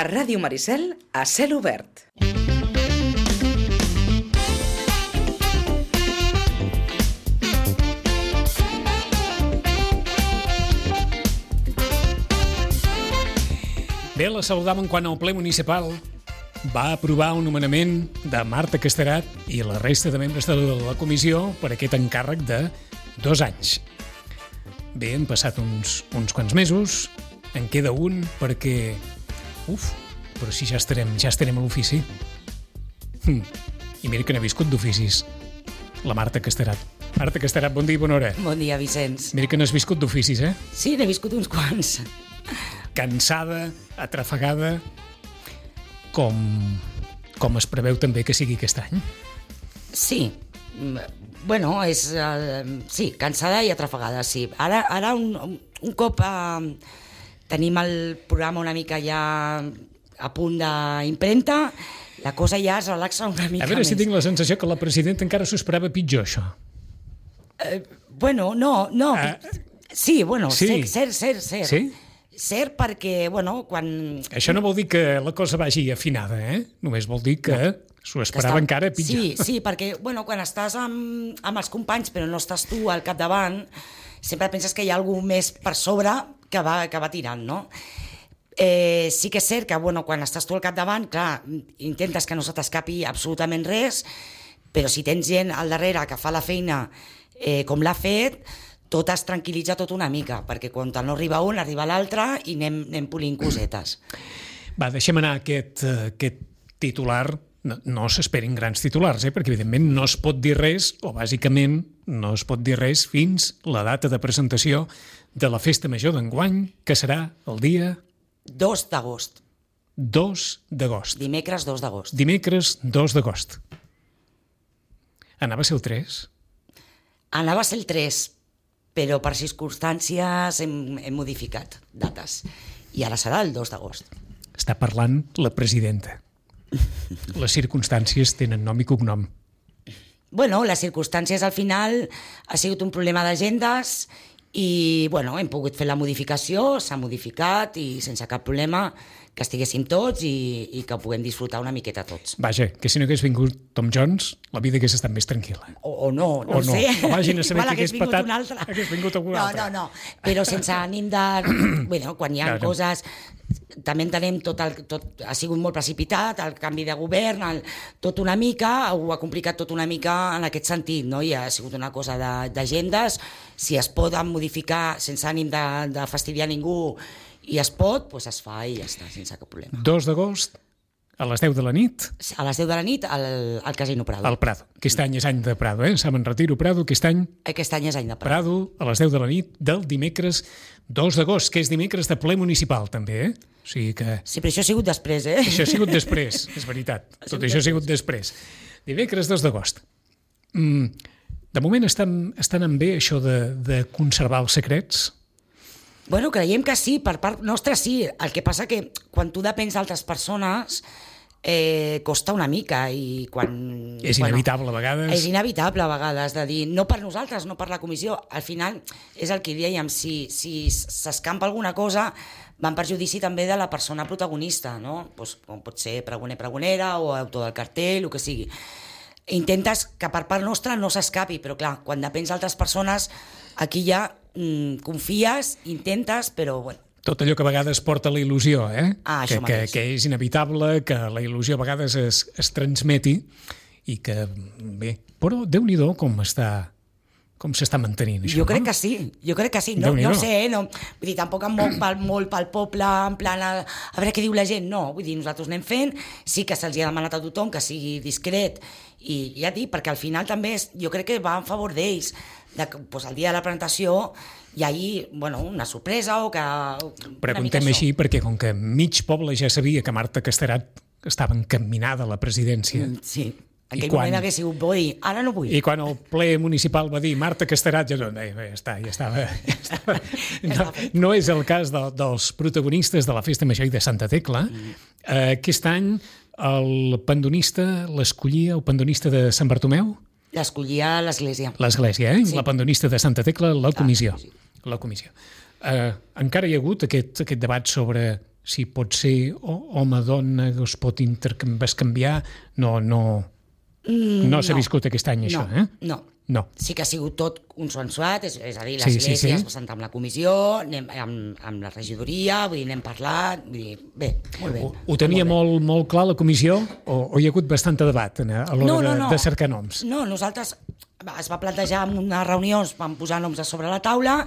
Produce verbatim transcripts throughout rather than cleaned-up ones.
A Ràdio Maricel, a cel obert. Bé, la saludàvem quan el ple municipal va aprovar un nomenament de Marta Casterat i la resta de membres de la comissió per aquest encàrrec de dos anys. Bé, han passat uns, uns quants mesos, en queda un perquè... Uf, però si ja estarem, ja estarem a l'ofici. Hm. I mira que n'he viscut d'oficis, la Marta Casterat. Marta Casterat, bon dia i bona hora. Bon dia, Vicenç. Mira que n'has viscut d'oficis, eh? Sí, n'he viscut uns quants. Cansada, atrafegada, com, com es preveu també que sigui aquest any? Sí, bueno, és... Uh, sí, cansada i atrafegada, sí. Ara, ara un, un cop uh, tenim el programa una mica ja a punt d'impremta, la cosa ja es relaxa una mica més. A veure si tinc la sensació que la presidenta encara s'ho esperava pitjor, això. Uh, bueno, no, no. Uh, sí, bueno, sí. cert, cert, cert. Sí? Cert perquè, bueno, quan... Això no vol dir que la cosa vagi afinada, eh? Només vol dir que no, s'ho esperava està... encara pitjor. Sí, sí, perquè, bueno, quan estàs amb, amb els companys però no estàs tu al capdavant, sempre penses que hi ha algú més per sobre que va, que va tirant, no? Eh, sí que és cert que, bueno, quan estàs tu al capdavant, clar, intentes que no se t'escapi absolutament res, però si tens gent al darrere que fa la feina eh, com l'ha fet, tot es tranquil·litza tot una mica, perquè quan no arriba un, arriba l'altre i anem, anem polint cosetes. Va, deixem anar aquest, aquest titular. No, no s'esperin grans titulars, eh? Perquè evidentment no es pot dir res, o bàsicament no es pot dir res fins la data de presentació de la Festa Major d'enguany, que serà el dia... dos d'agost. dos d'agost. Dimecres dos d'agost. Dimecres dos d'agost. Anava a ser el tres? Anava a ser el tres, però per circumstàncies hem, hem modificat dates. I ara serà el dos d'agost. Està parlant la presidenta. Les circumstàncies tenen nom i cognom. Bueno, les circumstàncies al final ha sigut un problema d'agendes i, bueno, hem pogut fer la modificació, s'ha modificat i sense cap problema que estiguéssim tots i, i que ho puguem disfrutar una miqueta tots. Vaja, que si no hagués vingut Tom Jones, la vida hagués estat més tranquil·la. O, o no, no o ho sé. O vagin a saber que hagués vingut patat, un altre. hagués vingut algú no, altre. No, no, però sense ànim de... bueno, quan hi ha Claro. coses... També entenem tot, el, tot ha sigut molt precipitat, el canvi de govern, el, tot una mica, ho ha complicat tot una mica en aquest sentit, no? I ha sigut una cosa d'agendes, si es poden modificar sense ànim de, de fastidiar ningú i es pot, doncs es fa i ja està, sense cap problema. dos d'agost, a les deu de la nit... A les deu de la nit, al, al Casino Prado. Al Prado. Aquest any és any de Prado, eh? Saben, retiro Prado, aquest any... Aquest any és any de Prado. Prado, a les deu de la nit del dimecres dos d'agost, que és dimecres de ple municipal, també, eh? O sigui que... Sí, però això ha sigut després, eh? Això ha sigut després, és veritat. Tot això ha sigut després. Dimecres dos d'agost. Mm, de moment estan, estan en bé això de, de conservar els secrets? Bueno, creiem que sí, per part nostra sí. El que passa que quan tu depens d'altres persones eh, costa una mica i quan... És inevitable bueno, a vegades. És inevitable a vegades de dir, no per nosaltres, no per la comissió. Al final és el que dèiem, si, si s'escampa alguna cosa va en perjudici també de la persona protagonista, no? Pues, com pot ser pregoner, pregonera o autor del cartell, el que sigui. Intentes que per part nostra no s'escapi, però clar, quan depens d'altres persones, aquí ja mm, confies, intentes, però bueno. Tot allò que a vegades porta la il·lusió, eh? Ah, que, que, que és inevitable que la il·lusió a vegades es, es transmeti i que, bé, però Déu-n'hi-do com està... Com s'està mantenint això, Jo crec no? que sí, jo crec que sí. No, no sé, eh? no, vull dir, tampoc em moc pel, molt pel poble, en plan, a, a veure què diu la gent. No, vull dir, nosaltres anem fent, sí que se'ls ha demanat a tothom que sigui discret, i ja dic, perquè al final també és, jo crec que va en favor d'ells, de, pues, el dia de la presentació hi hagi, bueno, una sorpresa o que... Preguntem així perquè com que mig poble ja sabia que Marta Casterat estava encaminada a la presidència... Mm, sí. En aquell quan, moment hagués sigut bo dir, ara no vull. I quan el ple municipal va dir Marta Casterat, ja, no, ja, està, ja estava... Ja estava no, no és el cas de, dels protagonistes de la Festa Major i de Santa Tecla. Mm. Uh, aquest any el pandonista l'escollia, el pandonista de Sant Bartomeu? L'escollia l'església. L'església, eh? Sí. La pandonista de Santa Tecla, la comissió. Ah, sí. La comissió. Uh, encara hi ha hagut aquest, aquest debat sobre si pot ser home-dona, es pot intercanviar, no, no, no s'ha no. viscut aquest any, això, no, eh? No, No. Sí que ha sigut tot consensuat, és, és a dir, Sí, l'església sí, sí. es presenta amb la comissió, anem amb, amb la regidoria, vull dir, n'hem parlat, vull dir, bé, molt bé. Ho, ho tenia molt, molt, molt clar la comissió o, o hi ha hagut bastant de debat a l'hora No, no, de, no. de cercar noms? No, nosaltres es va plantejar en una reunió, es van posar noms a sobre la taula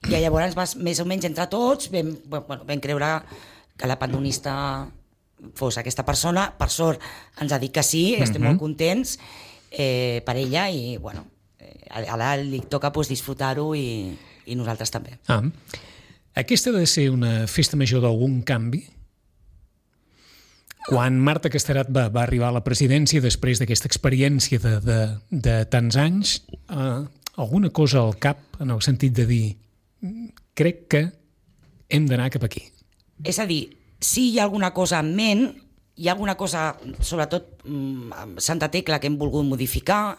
i llavors va, més o menys entre tots vam, bueno, vam creure que la pandonista fos aquesta persona. Per sort ens ha dit que sí, estem Mhm. molt contents eh, per ella i bueno, ara li toca pues, disfrutar-ho i, i nosaltres també. Ah. Aquesta ha de ser una festa major d'algun canvi? Quan Marta Casterat va, va arribar a la presidència després d'aquesta experiència de, de, de tants anys, eh, alguna cosa al cap en el sentit de dir crec que hem d'anar cap aquí? És a dir, si hi ha alguna cosa en ment, hi ha alguna cosa, sobretot amb Santa Tecla, que hem volgut modificar.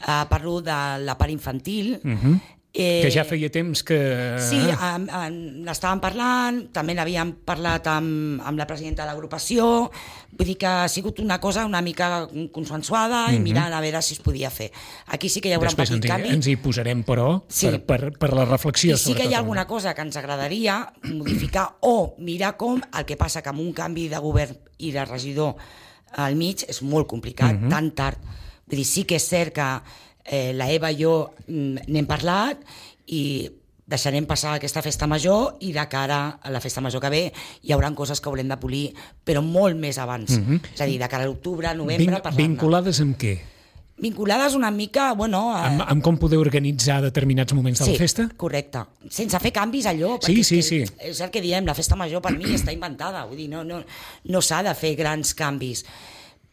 Uh, parlo de la part infantil. Uh-huh. eh, Que ja feia temps que... Sí, um, um, n'estàvem parlant, també n'havíem parlat amb, amb la presidenta de l'agrupació, vull dir que ha sigut una cosa una mica consensuada uh-huh. i mirant a veure si es podia fer. Aquí sí que hi haurà Després un petit ens hi, canvi. ens hi posarem, però, Sí. per, per, per la reflexió. I sí que hi ha sobretot. alguna cosa que ens agradaria modificar o mirar com, el que passa que amb un canvi de govern i de regidor al mig és molt complicat, Mhm. tan tard. Vull dir, sí que és cert que eh, la Eva i jo mm, n'hem parlat i deixarem passar aquesta festa major i de cara a la festa major que ve hi haurà coses que haurem de polir, però molt més abans. Mhm. És a dir, de cara a l'octubre, novembre, Vin, parlar-ne. vinculades amb què? Vinculades una mica, bueno... Eh, Amb, amb com poder organitzar determinats moments de sí, la festa? correcte. Sense fer canvis allò. Sí, perquè sí, és que, sí. És el que diem, la festa major per mi està inventada. Vull dir, no, no, no s'ha de fer grans canvis.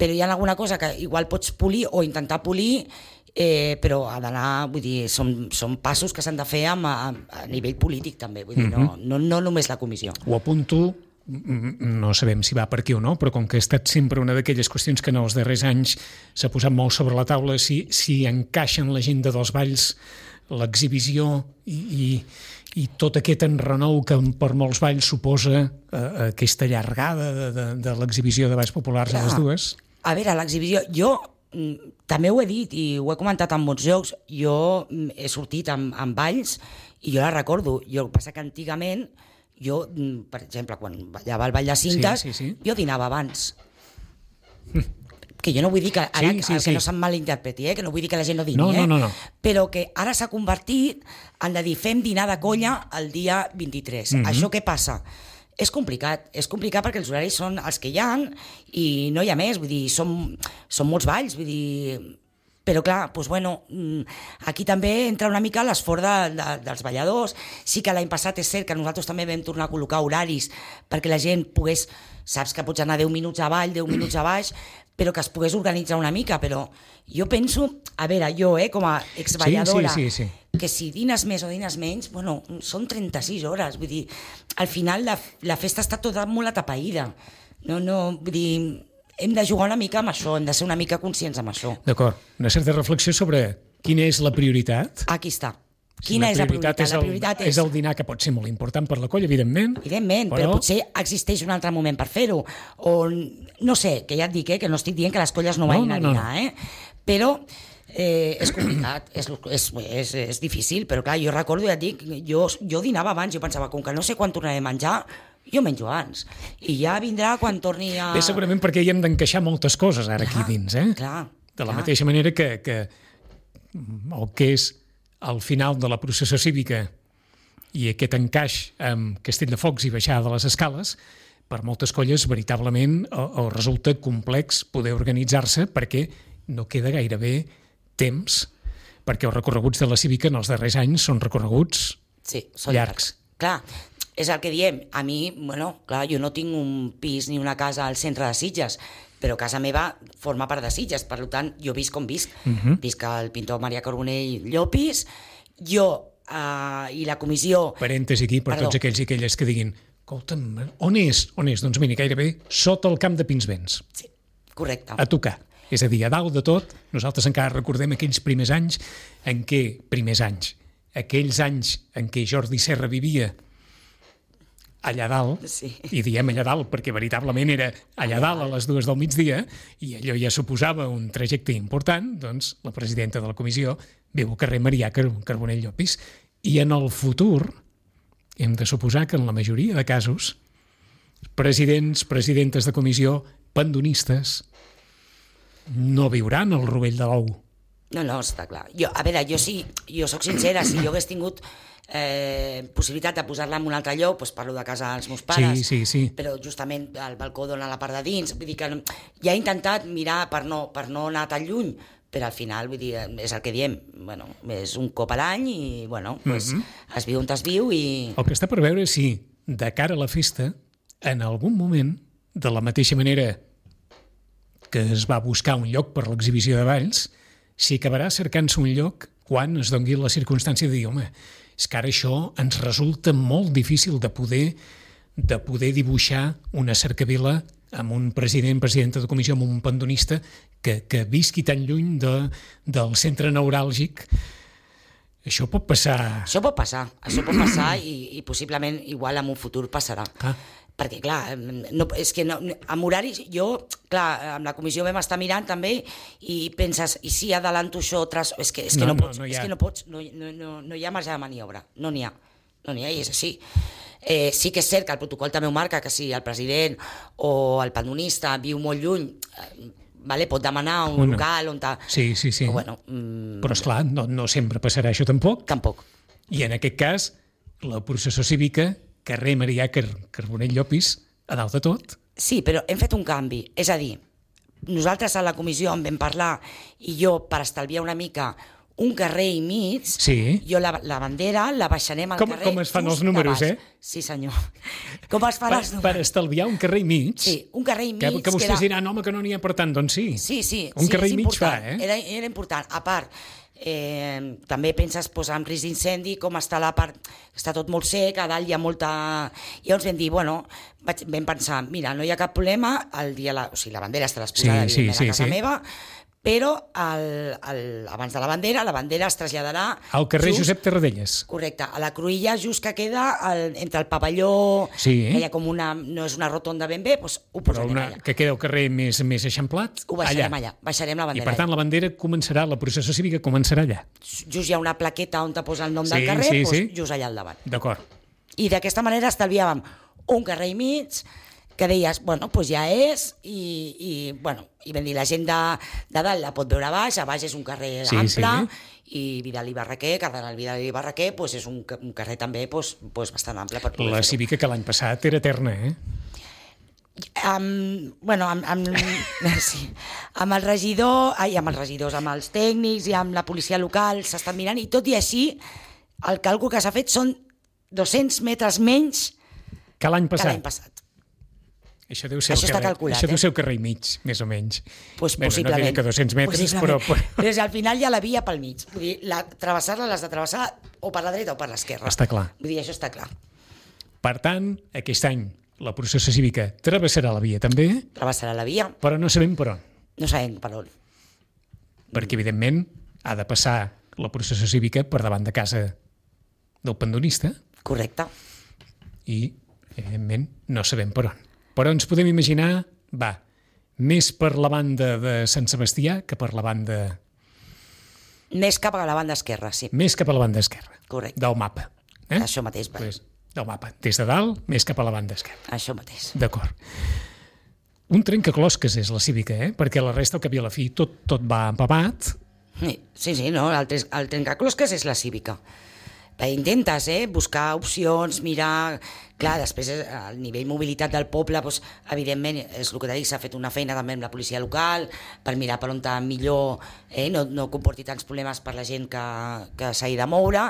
Però hi ha alguna cosa que igual pots polir o intentar polir, eh, però ha d'anar, vull dir, són, són passos que s'han de fer amb, a, a nivell polític també, vull dir, no, no, no només la comissió. Ho apunto, mm, no sabem si va per aquí o no, però com que ha estat sempre una d'aquelles qüestions que en els darrers anys s'ha posat molt sobre la taula, si, si encaixa en l'agenda dels balls l'exhibició i, i, i tot aquest enrenou que per molts balls suposa eh, aquesta llargada de, de, de l'exhibició de balls populars a les dues. A veure, l'exhibició, jo mm, també ho he dit i ho he comentat en molts llocs, jo mm, he sortit amb, amb balls i jo la recordo. Jo, el que passa que antigament, jo, mm, per exemple, quan ballava el ball de cintes, Sí, sí, sí. jo dinava abans. Que jo no vull dir que ara Sí, sí, que sí. no se'n malinterpreti, eh? Que no vull dir que la gent no dini, No, no, eh? no, no. Però que ara s'ha convertit en de dir fem dinar de colla el dia vint-i-tres. Mhm. Això què passa? És complicat, és complicat perquè els horaris són els que hi ha i no hi ha més, vull dir, són, són molts balls, vull dir... Però clar, doncs, bueno, aquí també entra una mica l'esforç de, de, dels balladors. Sí que l'any passat és cert que nosaltres també vam tornar a col·locar horaris perquè la gent pogués, saps que pots anar deu minuts avall, deu minuts a baix, però que es pogués organitzar una mica, però jo penso, a veure, jo, eh, com a exballadora, Sí, sí, sí, sí. que si dines més o dines menys, bueno, són trenta-sis hores, vull dir, al final la, la festa està tota molt atapeïda, no, no, vull dir, hem de jugar una mica amb això, hem de ser una mica conscients amb això. D'acord, una certa reflexió sobre quina és la prioritat. Aquí està. Quina és la prioritat? És el, La prioritat és el dinar, que pot ser molt important per la colla, evidentment. Evidentment, però... però potser existeix un altre moment per fer-ho. O, no sé, que ja et dic, eh, que no estic dient que les colles no vagin No, a no, no. dinar, eh? Però eh, és complicat, és, és, és, és difícil, però clar, jo recordo, ja et dic, jo, jo dinava abans, jo pensava, com que no sé quan tornaré a menjar, jo menjo abans. I ja vindrà quan torni a... Bé, segurament perquè hi hem d'encaixar moltes coses ara Clar, aquí dins, eh? clar, De la clar. mateixa manera que, que el que és al final de la processó cívica i aquest encaix amb Castelldefocs i baixada de les escales, per moltes colles veritablement o, o resulta complex poder organitzar-se perquè no queda gairebé temps, perquè els recorreguts de la cívica en els darrers anys són recorreguts Sí, són llargs. Clar, és el que diem. A mi, bueno, clar, jo no tinc un pis ni una casa al centre de Sitges, però casa meva forma part de Sitges, per tant, jo visc com visc. Mhm. Visc al pintor Maria Carbonell Llopis, jo eh, i la comissió... Parèntesi aquí per Perdó. tots aquells i aquelles que diguin escolta'm, on és? On és? Doncs mira, gairebé sota el camp de Pinsbens. Sí, correcte. A tocar. És a dir, a dalt de tot, nosaltres encara recordem aquells primers anys en què, primers anys, aquells anys en què Jordi Serra vivia allà dalt, Sí. i diem allà dalt perquè veritablement era allà dalt a les dues del migdia, i allò ja suposava un trajecte important, doncs la presidenta de la comissió viu al carrer Marià Carbonell Llopis. I en el futur hem de suposar que en la majoria de casos presidents, presidentes de comissió, pandonistes, no viuran el rovell de l'ou. No, no, està clar. Jo, a veure, jo sí, jo sóc sincera, si jo hagués tingut eh, possibilitat de posar-la en un altre lloc, doncs parlo de casa dels meus pares, Sí, sí, sí. però justament el balcó dona la part de dins, vull dir que no- ja he intentat mirar per no, per no anar tan lluny, però al final, vull dir, és el que diem, bueno, és un cop a l'any i, bueno, pues, mm-hmm. es viu on es viu i... El que està per veure és si, de cara a la festa, en algun moment, de la mateixa manera que es va buscar un lloc per l'exhibició de balls, s'hi acabarà cercant-se un lloc quan es doni la circumstància de dir, home, és que ara això ens resulta molt difícil de poder, de poder dibuixar una cercavila amb un president, presidenta de comissió, amb un pandonista que, que visqui tan lluny de, del centre neuràlgic. Això pot passar... Això pot passar, això pot passar i, i possiblement igual en un futur passarà. Ah. Perquè, clar, no, és que no, amb horaris, jo, clar, amb la comissió vam estar mirant també i penses, i si adelanto això, tras... és que, és que No, no, no, pots, no hi és ha. que no pots, no, no, no, no hi ha marge de maniobra, no n'hi ha, no n'hi ha, i és així. Eh, sí que és cert que el protocol també ho marca, que si el president o el pandonista viu molt lluny, eh, vale, pot demanar un Una. local on... Ta... Sí, sí, sí. Però, bueno, mm, Però, esclar, no, no sempre passarà això tampoc. tampoc. I en aquest cas, la processó cívica, carrer Marià Car Carbonell Llopis, a dalt de tot. Sí, però hem fet un canvi. És a dir, nosaltres a la comissió en vam parlar i jo, per estalviar una mica un carrer i mig, Sí. jo la, la bandera la baixarem al Com- carrer com es fan just els números, de baix. eh? Sí, senyor. Com es fan Per, els per números? estalviar un carrer i mig, Sí, un carrer i mig. que, que vostès era... diran, home, que no n'hi ha per tant, doncs sí. Sí, sí. Un sí, carrer és i mig important. fa, eh? Era, era important. A part, eh, també penses posar en risc d'incendi, com està la part... Està tot molt sec, a dalt hi ha molta... I llavors vam dir, bueno, vaig, vam pensar, mira, no hi ha cap problema, el dia la, o sigui, la bandera estarà exposada, Sí, sí, evidentment, sí, a casa sí. meva, però el, el, abans de la bandera, la bandera es traslladarà... Al carrer just, Josep Tarradellas. Correcte, a la cruïlla just que queda el, entre el pavelló, Sí. que hi ha com una... no és una rotonda ben bé, doncs ho Però posarem una, allà. que queda al carrer més, més eixamplat, Ho baixarem allà. allà, baixarem la I bandera. per tant la bandera començarà, la processó cívica començarà allà. Just hi ha una plaqueta on te posa el nom Sí, del carrer, sí, doncs sí. just allà al davant. D'acord. I d'aquesta manera estalviàvem un carrer i mig, que deies, bueno, doncs ja és, i, i, bueno, i vam dir, la gent de, de dalt la pot veure a baix, a baix és un carrer Sí, ample, sí. i Vidal i Barraquer, Cardenal Vidal i Barraquer, doncs és un, ca- un carrer també doncs, doncs bastant ample per poder La fer-ho. cívica que l'any passat era eterna, eh? Amb, bueno, amb, amb, sí, amb el regidor, ai, amb els regidors, amb els tècnics i amb la policia local s'estan mirant, i tot i així el càlcul que s'ha fet són dos-cents metres menys Que l'any que passat. l'any passat. Això deu ser Això el està carrer, calculat, això deu eh? ser el carrer i mig, més o menys. Pues Bé, no possiblement. diré que dos-cents metres, però... Possiblement. però... Però és que al final hi ha la via pel mig. Vull dir, la, travessar-la l'has de travessar o per la dreta o per l'esquerra. Està clar. Vull dir, això està clar. Per tant, aquest any la processó cívica travessarà la via també, Travessarà la via, però no sabem per on. no sabem per on. Perquè, evidentment, ha de passar la processó cívica per davant de casa del pandonista Correcte. i, evidentment, no sabem per on. Però ens podem imaginar, va, més per la banda de Sant Sebastià que per la banda... Més cap a la banda esquerra, sí. Més cap a la banda esquerra. Correcte. Del mapa. Eh? Això mateix, va. Pues, del mapa. Des de dalt, més cap a la banda esquerra. Això mateix. D'acord. Un trencaclosques és la cívica, eh? Perquè la resta, al cap i a la fi, tot, tot va empapat. Sí, sí, sí, no? El, tres- el trencaclosques és la cívica. Eh, Intentes, eh? Buscar opcions, mirar... Clar, després eh, el nivell mobilitat del poble, doncs, evidentment, és el que t'he dit, s'ha fet una feina també amb la policia local per mirar per on està millor, eh? no, no comporti tants problemes per la gent que, que s'hagi de moure,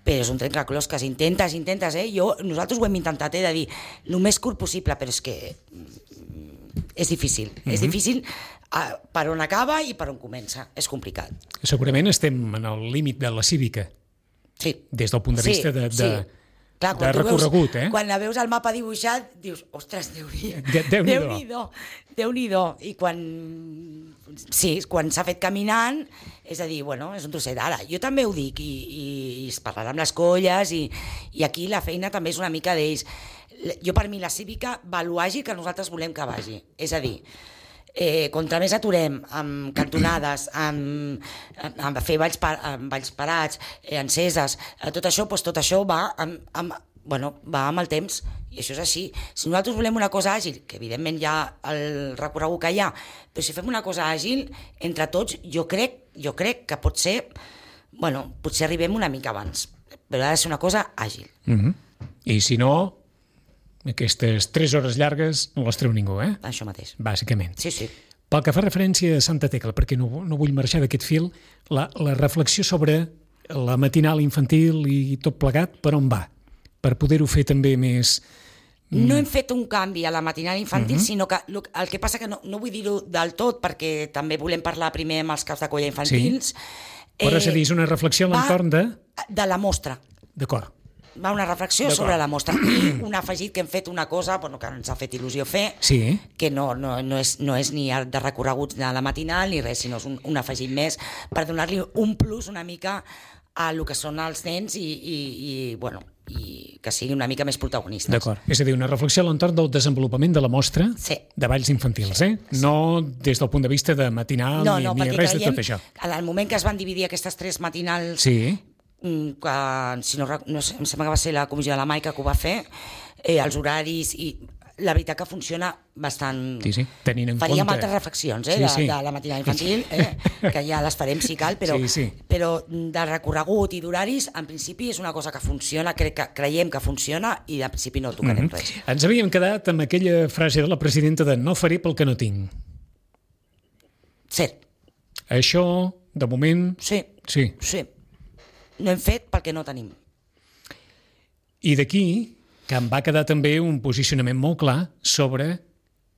però és un trencaclosques, intentes, intentes, eh? Jo, nosaltres ho hem intentat, eh? De dir el més curt possible, però és que mm, és difícil, mm-hmm. és difícil eh, per on acaba i per on comença, és complicat. Segurament estem en el límit de la cívica, Sí. des del punt de Sí, vista de, de, sí. Clar, de recorregut, veus, eh? Quan la veus al mapa dibuixat, dius, ostres, Déu-n'hi-do. Déu-n'hi-do. Déu-n'hi-do. I quan... Sí, quan s'ha fet caminant, és a dir, bueno, és un trosset. Ara, jo també ho dic, i, i, i es parlarà amb les colles, i, i aquí la feina també és una mica d'ells. Jo, per mi, la cívica va lo àgil que nosaltres volem que vagi. És a dir, Eh, contra més aturem amb cantonades, amb, amb fer balls, par, amb balls parats, eh, enceses, eh, tot això, doncs tot això va amb, amb, bueno, va amb el temps, i això és així. Si nosaltres volem una cosa àgil, que evidentment hi ha el recorregut que hi ha, però si fem una cosa àgil, entre tots, jo crec, jo crec que pot ser, bueno, potser arribem una mica abans, però ha de ser una cosa àgil. Mm-hmm. I si no, aquestes tres hores llargues no les treu ningú, eh? Això mateix. Bàsicament. Sí, sí. Pel que fa referència a Santa Tecla, perquè no, no vull marxar d'aquest fil, la, la reflexió sobre la matinal infantil i tot plegat, per on va? Per poder-ho fer també més... No hem fet un canvi a la matinal infantil, uh-huh. sinó que el que passa que no, no vull dir-ho del tot, perquè també volem parlar primer amb els caps de colla infantils. Sí. Però és a dir, és una reflexió a l'entorn de... De la mostra. D'acord. Va una reflexió sobre la mostra. I un afegit que hem fet una cosa, bueno, que ens ha fet il·lusió fer, sí. que no, no, no, és, no és ni de recorreguts de la matinal ni res, sinó és un, un afegit més per donar-li un plus una mica a el que són els nens i, i, i, bueno, i que siguin una mica més protagonistes. D'acord. És a dir, una reflexió a l'entorn del desenvolupament de la mostra sí. de balls infantils, eh? Sí. No des del punt de vista de matinal no, ni, no, ni res de tot això. En el moment que es van dividir aquestes tres matinals... Sí. que si no, no sé, em sembla que va ser la comissió de la Maica que ho va fer, eh, els horaris i la veritat que funciona bastant... Sí, sí, tenint en faríem compte... altres reflexions eh, sí, de, sí. de la matinal infantil, eh, que ja les farem si cal, però, sí, sí. però de recorregut i d'horaris, en principi és una cosa que funciona, crec que creiem que funciona i en principi no tocarem mm-hmm. res. Ens havíem quedat amb aquella frase de la presidenta de no faré pel que no tinc. Cert. Això, de moment... Sí, sí. sí. No hem fet perquè no tenim. I d'aquí que em va quedar també un posicionament molt clar sobre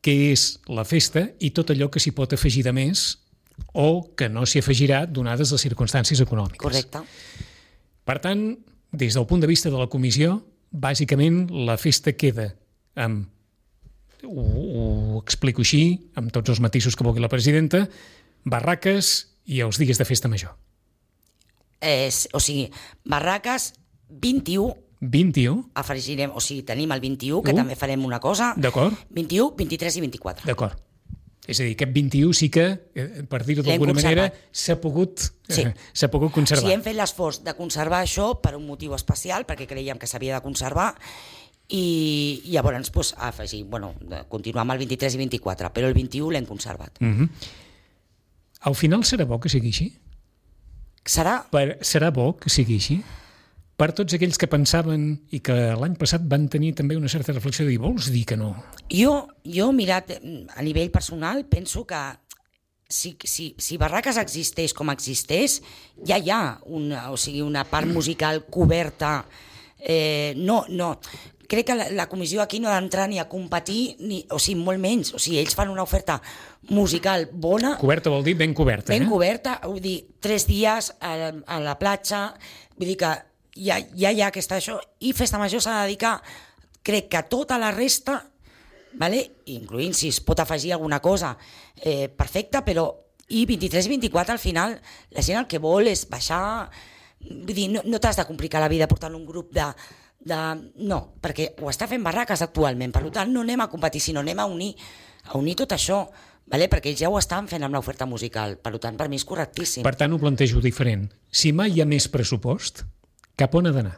què és la festa i tot allò que s'hi pot afegir de més o que no s'hi afegirà donades les circumstàncies econòmiques. Correcte. Per tant, des del punt de vista de la comissió, bàsicament la festa queda amb, ho, ho explico així, amb tots els matisos que vulgui la presidenta, barraques i els dies de festa major. Eh, o sigui, barraques vint-i-u, vint-i-u? Afegirem, o sigui, tenim el vint-i-u, que uh, també farem una cosa. D'acord. vint-i-u, vint-i-tres i vint-i-quatre. D'acord. És a dir, aquest vint-i-u sí que, per dir-ho d'alguna manera, s'ha pogut, sí. eh, s'ha pogut conservar. Sí, hem fet l'esforç de conservar això per un motiu especial, perquè creiem que s'havia de conservar, i, i llavors pues, afegir, bueno, continuar amb el vint-i-tres i vint-i-quatre, però el vint-i-u l'hem conservat. Mm-hmm. Al final serà bo que sigui així? Serà? Per, serà bo que sigui així? Per tots aquells que pensaven i que l'any passat van tenir també una certa reflexió de dir, vols dir que no? Jo, jo mirat a nivell personal, penso que si, si, si Barraques existeix com existeix, ja hi ha una, o sigui, una part musical coberta. Eh, no, no. Crec que la, la comissió aquí no ha d'entrar ni a competir, ni, o sigui, molt menys. O sigui, ells fan una oferta musical bona. Coberta vol dir ben coberta, ben eh? Ben coberta, vull dir, tres dies a, a la platja, vull dir que ja, ja hi ha aquesta això, i Festa Major s'ha de dedicar, crec que tota la resta, vale? Incloent si es pot afegir alguna cosa, eh, perfecte, però i vint-i-tres i vint-i-quatre al final la gent el que vol és baixar, vull dir, no, no t'has de complicar la vida portant un grup de De... no, perquè ho està fent Barraques actualment, per tant no anem a competir, sinó anem a unir, a unir tot això, vale? Perquè ells ja ho estan fent amb l'oferta musical, per tant per mi és correctíssim. Per tant ho plantejo diferent. Si mai hi ha més pressupost, cap on ha d'anar?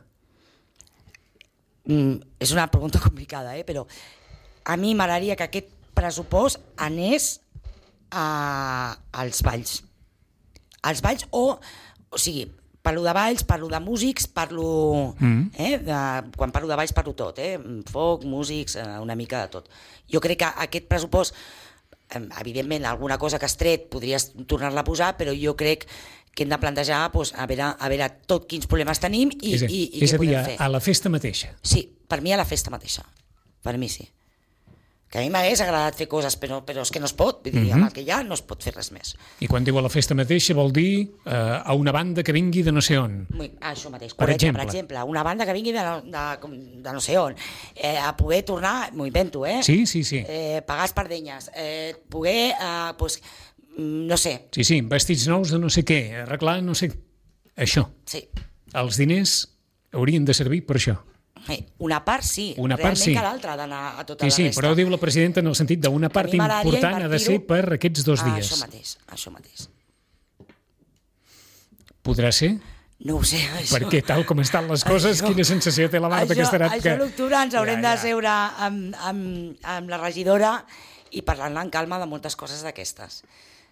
Mm, és una pregunta complicada, eh? Però a mi m'agradaria que aquest pressupost anés a, als balls. Als balls o, o sigui, parlo de balls, parlo de músics, parlo... Mm. Eh, de, quan parlo de balls parlo tot, eh? Foc, músics, una mica de tot. Jo crec que aquest pressupost, evidentment, alguna cosa que has tret podries tornar-la a posar, però jo crec que hem de plantejar doncs, a, veure, a veure tot quins problemes tenim i, és a, i, i és què a dir, podem fer. A la festa mateixa. Sí, per mi a la festa mateixa. Per mi sí. que a mi m'hagués agradat fer coses, però, però és que no es pot, vull dir, Mhm. amb el que hi ha no es pot fer res més. I quan diu a la festa mateixa vol dir eh, a una banda que vingui de no sé on. Muy, ah, això mateix, Per correcte, exemple. per exemple, una banda que vingui de, no- de, de no sé on, eh, a poder tornar, m'ho invento, eh? Sí, sí, sí. Eh, pagar espardenyes, eh, poder, eh, pues, mm, no sé, Sí, sí, vestits nous de no sé què, arreglar no sé... Això. sí, Els diners haurien de servir per això. Eh, una part sí, Una part realment sí. que l'altra ha d'anar a tota Sí, la sí, resta. però diu la presidenta en el sentit d'una part mi m'agradaria important ha de ser invertir-ho- per aquests dos Ah, dies. això mateix, això mateix. Podrà ser? No ho sé, això... Perquè tal com estan les coses, Això- quina sensació té la Marta això, Casterat? Això a l'octubre ens haurem Ja, de ja. seure amb, amb, amb la regidora i parlar-ne en calma de moltes coses d'aquestes.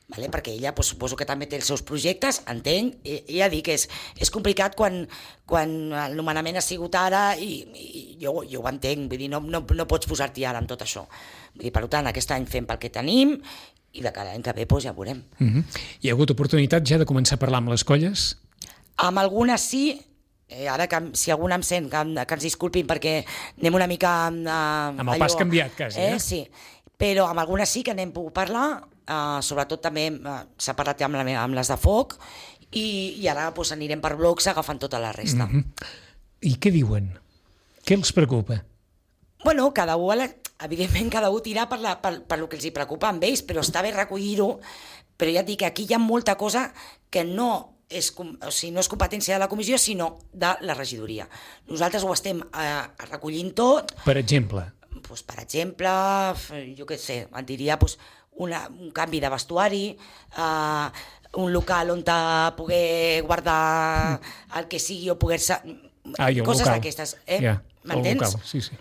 Vale? Perquè ella pues, suposo que també té els seus projectes, entenc, i, i ja dic que és, és complicat quan, quan el nomenament ha sigut ara i, i jo, jo ho entenc, vull dir, no, no, no pots posar-t'hi ara amb tot això. Vull dir, per tant, aquest any fem pel que tenim i de cada any que ve pues, ja veurem. Mhm. Hi ha hagut oportunitat ja de començar a parlar amb les colles? Amb algunes sí, eh, ara que si alguna em sent, que, que ens disculpin perquè anem una mica... Eh, Amb el pas canviat, quasi, eh? eh? Sí, però amb algunes sí que n'hem pogut parlar, eh, sobretot també eh, s'ha parlat amb, la, meva- amb les de foc, i, i ara pues, anirem per blocs agafant tota la resta. Mhm. I què diuen? Què els preocupa? Bueno, cada un, a la- evidentment, cada un tira per, la, per, per lo que els hi preocupa amb ells, però està bé recollir-ho, però ja et dic que aquí hi ha molta cosa que no és, com- o sigui, no és competència de la comissió, sinó de la regidoria. Nosaltres ho estem eh, recollint tot, Per exemple, doncs, per exemple, f- jo què sé, et diria doncs, una, un canvi de vestuari, eh, un local on te poder guardar el que sigui o poder-se... ah, i el coses local. d'aquestes, eh? Ja, el M'entens? local, sí, sí.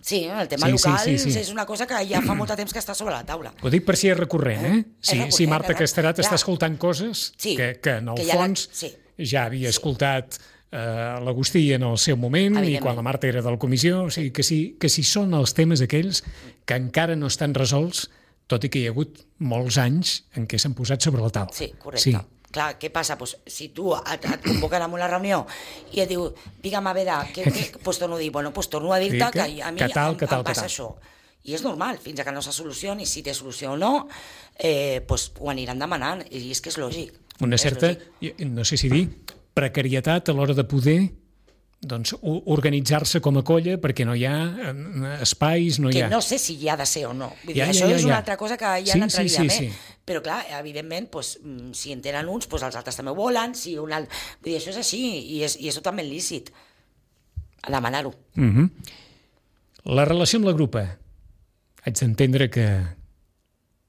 Sí, el tema Sí, sí, local sí, sí. és una cosa que ja fa molt de temps que està sobre la taula. Ho dic per si és recurrent, eh? Si, recurrent, si Marta eh? Casterat està Clar. escoltant coses Sí, que, que en el que ja la- fons sí. ja havia escoltat eh, l'Agustí en el seu moment i Evidentment. quan la Marta era de la comissió, o sigui, que si, que si són els temes aquells que encara no estan resolts, tot i que hi ha hagut molts anys en què s'han posat sobre la taula. Sí, correcte. Sí. Clar, què passa? Pues, si tu et, et convoquen a una reunió i et diu, digue'm, a veure, què, què? Pues torno a dir, bueno, pues torno a dir-te Sí, que- que, a mi que tal, em, que tal, em que passa tal. això. I és normal, fins a que no se solucioni, si té solució o no, eh, pues, ho aniran demanant, i és que és lògic. Una És certa, lògic. no sé si dir, precarietat a l'hora de poder doncs, o- organitzar-se com a colla perquè no hi ha eh, espais, no hi Que ha... no sé si hi ha de ser o no. Vull dir, Ja, ja, això ja, és ja. una altra cosa que ja Sí, n'entraríem, sí, sí, eh? sí. Però clar, evidentment, pues, mm, si en tenen uns, pues els altres també ho volen, si un alt... Vull dir, això és així, i és, i és totalment lícit a demanar-ho. Mhm. La relació amb la grupa. Haig d'entendre que...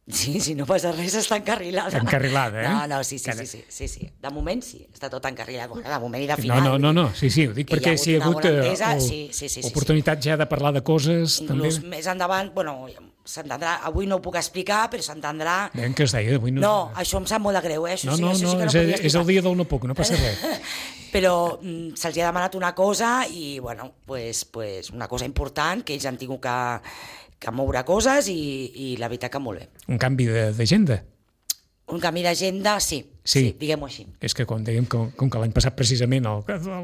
Sí, si no passa res, està encarrilada. Encarrilada, eh? No, no, sí, sí, Cada- sí, sí, sí, sí. De moment sí, està tot encarrilat. Bueno, de moment i de No, final. no, no, no, sí, sí, ho dic Que hi ha perquè hagut si hi ha una hagut bona eh, entesa, o- sí, sí, sí, sí, oportunitat ja de parlar de coses, també. Inclús més endavant, bueno, s'entendrà, avui no ho puc explicar, però s'entendrà... Veiem que es deia, avui no... No, això em sap molt de greu, eh? Això, no, sí, no, això no, sí que no és, podia és explicar. el dia del no puc, no passa res. Però mm, se'ls ha demanat una cosa i, bueno, pues, pues una cosa important, que ells han tingut que, que moure coses i, i la veritat que molt bé. Un canvi de- d'agenda. Un canvi d'agenda, sí, Sí. sí, diguem-ho així. És que com dèiem, com, com que l'any passat precisament el,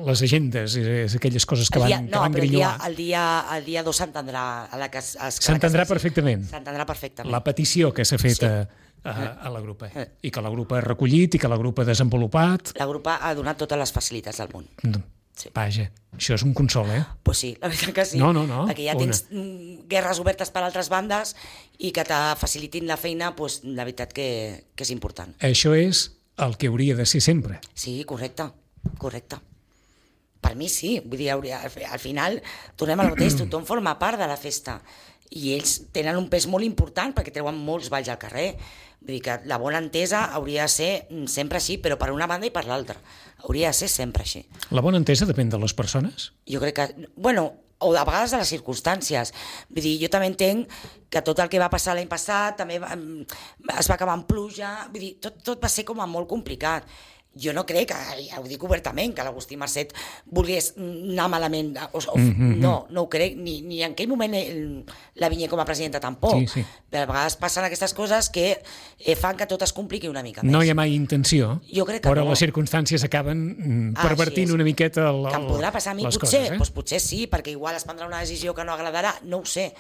les agendes, és, és aquelles coses que El van, dia, que no, van però el dia, grinyolar. el dia, el dia dos s'entendrà. a la que es- es- a la que S'entendrà es faci. perfectament. S'entendrà perfectament. La petició que s'ha fet Sí. a, a, a la grupa. I que la grupa ha recollit i que la grupa ha desenvolupat. La grupa ha donat totes les facilitats del món. Sí. Vaja, això és un consol, eh? Pues sí, la veritat que sí. No, no, no, Perquè ja una. tens mm, guerres obertes per altres bandes i que te facilitin la feina, pues, la veritat que, que és important. Això és el que hauria de ser sempre. Sí, correcte, correcte. Per mi sí, vull dir, hauria, al final tornem al mateix, tothom forma part de la festa i ells tenen un pes molt important perquè treuen molts balls al carrer. Vull dir que la bona entesa hauria de ser mm, sempre així, però per una banda i per l'altra. Hauria de ser sempre així. La bona entesa depèn de les persones? Jo crec que, bueno, o a vegades de les circumstàncies. Vull dir, jo també entenc que tot el que va passar l'any passat també va, em, es va acabar en pluja, vull dir, tot, tot va ser com a molt complicat. Jo no crec, que, ja ho dic obertament, que l'Agustí Marcet volgués anar malament, o, o, Mhm. no, no ho crec, ni, ni en aquell moment el, la Vinyé com a presidenta tampoc. Sí, sí. Però a vegades passen aquestes coses que eh, fan que tot es compliqui una mica més. No hi ha mai intenció, Jo crec que però no. les circumstàncies acaben mm, Ah, pervertint així és. una miqueta el, Que em podrà passar a mi, les potser, coses, eh? doncs potser sí, perquè igual es prendrà una decisió que no agradarà, no ho sé.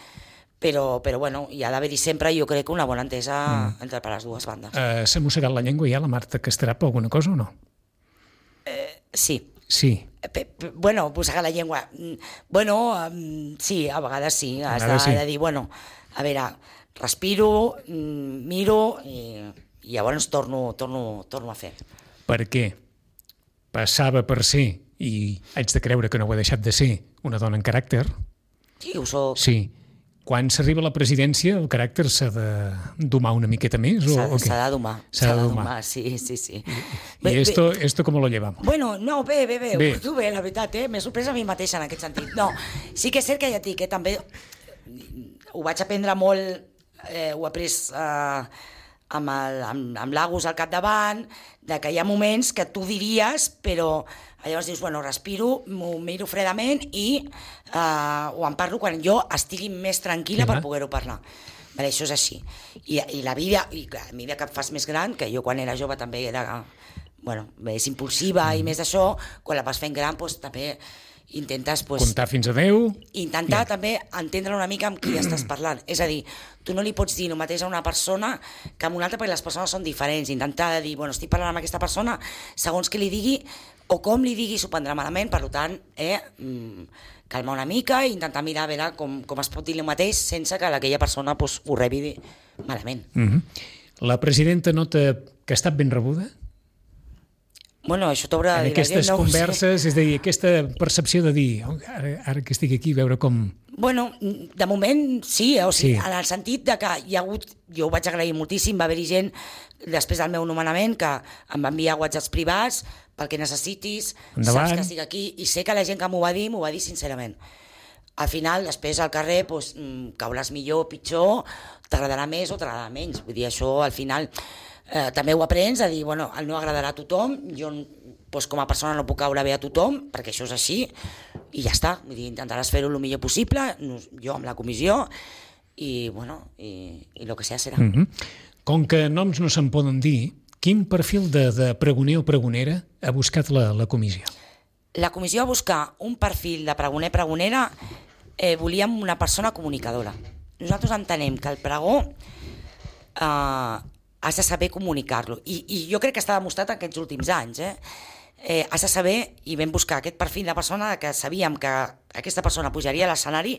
però, però bueno, hi ha d'haver-hi sempre, jo crec, una bona entesa mm. entre per les dues bandes. Uh, S'ha mossegat la llengua ja la Marta Casterà per alguna cosa o no? Eh, sí. Sí. P -p bueno, mossegar la llengua. Bueno, um, sí, a vegades sí. Has de, sí. de dir, bueno, a veure, respiro, miro i, i llavors torno, torno, torno a fer. Per què? Passava per ser, i haig de creure que no ho ha deixat de ser, una dona en caràcter. Sí, ho soc. Sí. Quan s'arriba a la presidència, el caràcter s'ha de domar una miqueta més? S'ha de domar. S'ha de domar, sí, sí, sí. I, i esto, esto com lo llevamos? Bueno, no, bé, bé, bé, bé. Tu bé, la veritat, eh? M'he sorprès a mi mateixa en aquest sentit. No, sí que és cert que ja et dic, eh? També ho vaig aprendre molt, eh, ho he après eh, amb, el, amb, amb l'Agus al capdavant, de que hi ha moments que tu diries, però llavors dius, bueno, respiro, m'ho miro fredament i eh, ho en parlo quan jo estigui més tranquil·la per poder-ho parlar. Vale, això és així. I, i la vida, i a mesura que et fas més gran, que jo quan era jove també era, bueno, més impulsiva mm. i més d'això, quan la vas fent gran, doncs també intentes... Pues, comptar fins a deu. Intentar yeah. també entendre una mica amb qui estàs parlant. És a dir, tu no li pots dir el mateix a una persona que a una altra, perquè les persones són diferents. Intentar dir, bueno, estic parlant amb aquesta persona, segons que li digui o com li digui s'ho prendrà malament, per tant, eh, calmar una mica i intentar mirar a veure com, com es pot dir el mateix sense que aquella persona pues, ho rebi malament. Mm-hmm. La presidenta nota que ha estat ben rebuda? Bueno, això t'haurà de dir. En aquestes no converses, és a dir, aquesta percepció de dir, oh, ara, ara que estic aquí, veure com... Bueno, de moment sí, o sigui, sí. En el sentit de que hi ha hagut, jo ho vaig agrair moltíssim, va haver-hi gent després del meu nomenament que em va enviar whatsapps privats pel que necessitis, endavant. Saps que estic aquí, i sé que la gent que m'ho va dir, m'ho va dir sincerament. Al final, després al carrer, doncs, cauràs millor o pitjor, t'agradarà més o t'agradarà menys, vull dir, això al final... Eh, també ho aprens a dir, bueno, el no agradarà a tothom, jo doncs, com a persona no puc caure bé a tothom, perquè això és així, i ja està, vull dir, intentaràs fer-ho el millor possible, jo amb la comissió, i bueno, i, i el que sea serà. Mm-hmm. Com que noms no se'n poden dir, quin perfil de, de pregoner o pregonera ha buscat la, la comissió? La comissió va buscar un perfil de pregoner-pregonera, eh, volíem una persona comunicadora. Nosaltres entenem que el pregó eh, has de saber comunicar-lo. I, I jo crec que està demostrat aquests últims anys. Eh? Eh, has de saber, i vam buscar aquest perfil de persona que sabíem que aquesta persona pujaria a l'escenari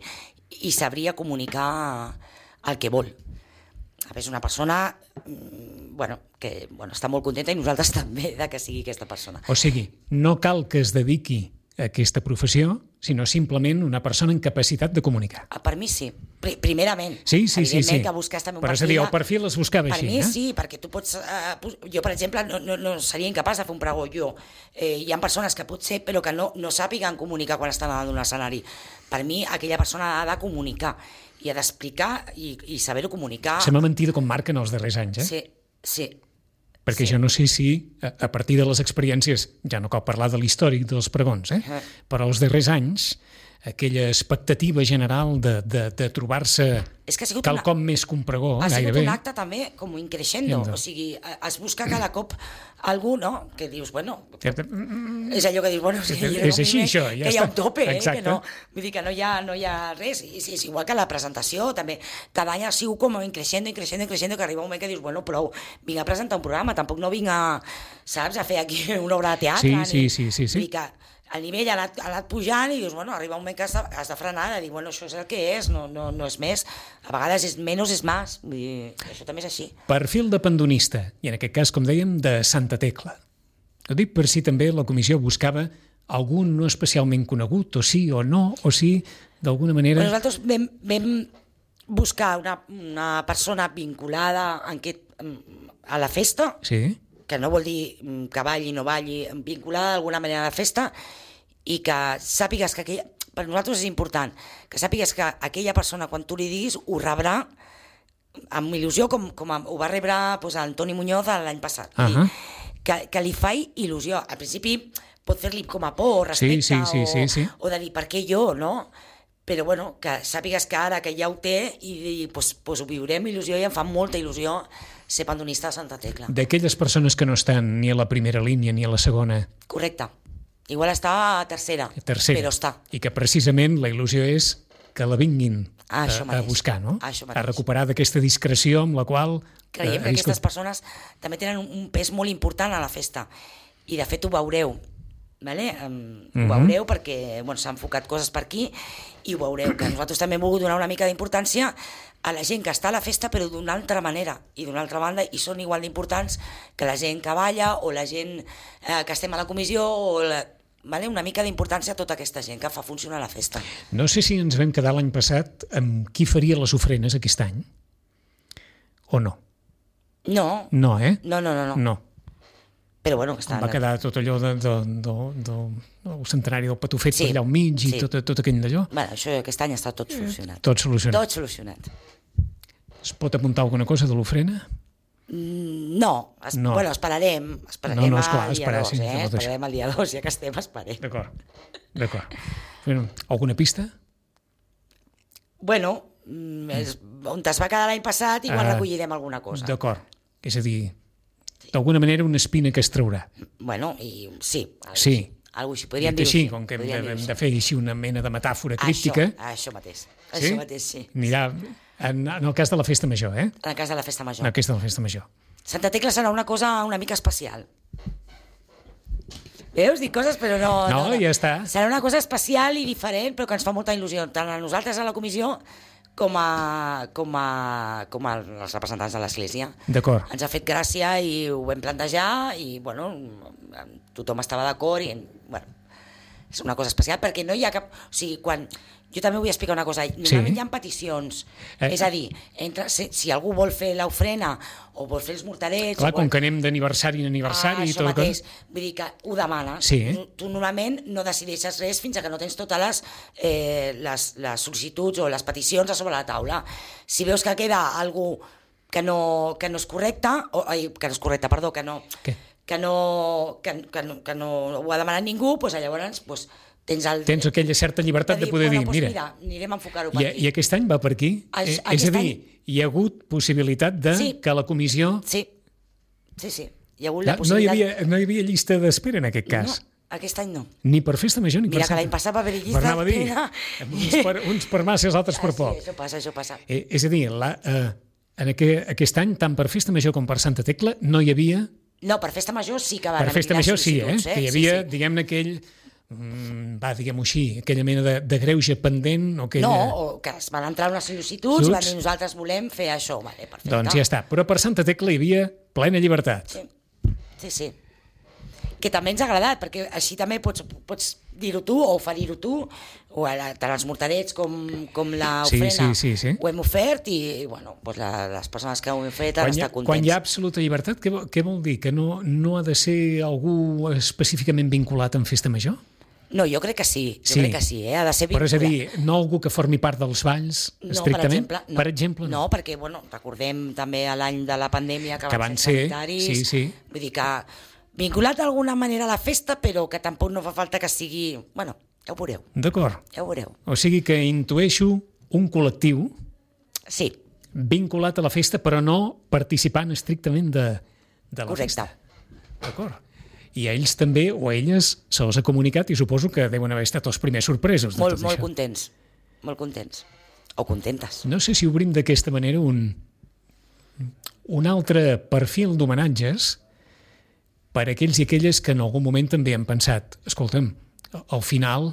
i sabria comunicar el que vol. És una persona bueno, que bueno, està molt contenta i nosaltres també de que sigui aquesta persona. O sigui, no cal que es dediqui a aquesta professió, sinó simplement una persona en capacitat de comunicar. Per mi sí, Pr primerament. Sí, sí, sí. sí. Que busques també un però perfil. És a dir, el perfil es buscava per així. Per mi eh? sí, perquè tu pots... Uh, jo, per exemple, no, no, no seria incapaç de fer un pregó jo. Eh, hi ha persones que potser, però que no, no sàpiguen comunicar quan estan davant d'un escenari. Per mi, aquella persona ha de comunicar i ha d'explicar i, i saber-ho comunicar. Sembla mentida com marquen els darrers anys, eh? Sí, sí. Perquè sí. Jo no sé si, a partir de les experiències, ja no cal parlar de l'històric dels pregons, eh? Uh -huh. Però els darrers anys, aquella expectativa general de, de, de trobar-se quelcom una... més que un pregó, ha gairebé. Ha sigut un acte també com increixendo, o sigui, es busca cada cop algú, no?, que dius, bueno, és allò que dius, bueno, sí, és així, això, ja que està. hi ha un tope, eh? Exacte. Que no, vull dir que no hi ha, no hi ha res, i és, és igual que la presentació, també, cada any ha sigut com increixendo, increixendo, increixendo, que arriba un moment que dius, bueno, prou, vinc a presentar un programa, tampoc no vinc a, saps, a fer aquí una obra de teatre, sí, ni, sí, sí, sí, sí. Vull dir que el nivell ha anat, ha anat pujant i dius, bueno, arriba un moment que has de, has de frenar, de dir, bueno, això és el que és, no, no, no és més. A vegades és menys és més, vull dir, això també és així. Perfil de pandonista, i en aquest cas, com dèiem, de Santa Tecla. Ho dic per si també la comissió buscava algun no especialment conegut, o sí o no, o sí, d'alguna manera... Però nosaltres vam, vam buscar una, una persona vinculada en aquest, a la festa, sí, que no vol dir que balli o no balli, vinculada d'alguna manera a la festa, i que sàpigues que aquella, per nosaltres és important, que sàpigues que aquella persona, quan tu li diguis, ho rebrà amb il·lusió, com, com ho va rebre doncs, Antoni Muñoz l'any passat. Uh -huh. que, que li fa il·lusió. Al principi pot fer-li com a por, respecte, sí, sí, sí, sí, sí. O, o de dir, per què jo, no? Però bueno, que sàpigues que ara que ja ho té i pues, pues ho viurem il·lusió i em fa molta il·lusió ser pandonista de Santa Tecla. D'aquelles persones que no estan ni a la primera línia ni a la segona. Correcte. Igual està a tercera, tercera, però està. I que precisament la il·lusió és que la vinguin Ah, a, això a mateix. buscar, no? Ah, això A mateix. recuperar d'aquesta discreció amb la qual... Creiem eh, que ha viscut. aquestes persones també tenen un- un pes molt important a la festa. I de fet ho veureu. Vale? Um, Mhm. Ho veureu perquè bueno, s'han enfocat coses per aquí i ho veureu, que nosaltres també hem volgut donar una mica d'importància a la gent que està a la festa però d'una altra manera i d'una altra banda i són igual d'importants que la gent que balla o la gent eh, que estem a la comissió o la, vale? Una mica d'importància a tota aquesta gent que fa funcionar la festa. No sé si ens vam quedar l'any passat amb qui faria les ofrenes aquest any, o no. No, No, eh? no, no, no, no. No. Però bueno, que Em estan... va quedar tot allò de, de, de, de, del centenari del Patufet Sí, per allà al mig i sí. tot, tot aquell d'allò. Bueno, això aquest any està tot solucionat. Tot solucionat. Tot solucionat. Es pot apuntar alguna cosa de l'ofrena? Mm, No, es, No. bueno, esperarem, esperarem No, no, esclar, al dia esperar, dos, sí, eh? no pot Esperarem al dia dos, ja que estem, esperem. D'acord. D'acord. Bueno, alguna pista? Bueno, mm, és, on es va quedar l'any passat, igual Ah, recollirem alguna cosa. D'acord. És a dir, d'alguna manera una espina que es traurà. Bueno, i sí, algo, Sí. algo així, podríem Dit dir-ho així, així. com que hem de, podríem hem dir-ho de així. fer així una mena de metàfora críptica. Això, això mateix, Sí? això mateix, sí. Anirà en, en el cas de la festa major, eh? En el cas de la festa En major. el cas de la festa major. Santa Tecla serà una cosa una mica especial. Veus? Dic coses, però no... No, ja està. Serà una cosa especial i diferent, però que ens fa molta il·lusió, tant a nosaltres a la comissió com a, com a, com a els representants de l'Església. D'acord. Ens ha fet gràcia i ho vam plantejar i, bueno, tothom estava d'acord i, bueno, és una cosa especial perquè no hi ha cap... O sigui, quan... Jo també vull explicar una cosa. Normalment Sí. hi ha peticions. Eh. És a dir, entre, si, si algú vol fer l'ofrena o vol fer els mortalets... Clar, o com vol... que anem d'aniversari en aniversari ah, i això tot... mateix. Vull dir que ho demanes. Sí. Tu, tu normalment no decideixes res fins a que no tens totes les, eh, les, les sol·licituds o les peticions a sobre la taula. Si veus que queda algú que no, que no és correcte, o, ai, que no és correcte, perdó, que no, Què? que no, que, que, no, que no ho ha demanat ningú, doncs llavors doncs, tens, el, Tens aquella certa llibertat de poder bueno, dir, doncs mira, mira, anirem a enfocar-ho per i, aquí. i aquest any va per aquí. Això- Eh, és aquest a dir, any- hi ha hagut possibilitat de Sí. que la comissió... Sí, sí, sí. Hi ha hagut No, no, la hi possibilitat... havia, no hi havia llista d'espera en aquest cas. No, aquest any no. Ni per festa major ni Mira per que Santa. l'any passat va haver llista Per anava a dir, d'espera. uns per, uns per massa i els altres per Ah, poc. sí, això passa, això passa. Eh, és a dir, la, eh, en aquest, aquest any, tant per festa major com per Santa Tecla, no hi havia... No, per festa major sí que van Per festa haver-hi major sí, eh? sol·licituds, Que hi havia, Sí, sí. diguem-ne, aquell... mm, va, diguem-ho així, aquella mena de, de greuge pendent o aquella... No, o que es van entrar unes sol·licituds i van dir Sol·licituds. nosaltres volem fer això. Vale, perfecte. Doncs ja està. Però per Santa Tecla hi havia plena llibertat. Sí, sí, sí. Que també ens ha agradat, perquè així també pots, pots dir-ho tu o oferir-ho tu, o ara, tant els morterets com, com Sí, l'ofrena sí, sí, sí. ho hem ofert i, i bueno, doncs la, les persones que ho hem fet han Quan hi, ha, estat contents. quan hi ha absoluta llibertat, què, vol- què vol dir? Que no, no ha de ser algú específicament vinculat en festa major? No, jo crec que sí, jo Sí. crec que sí, eh? Ha de ser Però és a vinculat. dir, no algú que formi part dels balls, No, estrictament? per exemple, no. Per exemple, no. no, perquè bueno, recordem també a l'any de la pandèmia que, Que van ser, sanitaris, sí, sí. Vull dir que vinculat d'alguna manera a la festa, però que tampoc no fa falta que sigui... Bueno, ja ho veureu, D'acord. ja ho veureu. O sigui que intueixo un col·lectiu Sí, vinculat a la festa, però no participant estrictament de, de la correcte. festa. D'acord. I a ells també, o a elles, se'ls ha comunicat i suposo que deuen haver estat els primers sorpresos de Molt, tot molt això. contents, molt contents. O contentes. No sé si obrim d'aquesta manera un, un altre perfil d'homenatges per a aquells i aquelles que en algun moment també han pensat, escolta'm, al final,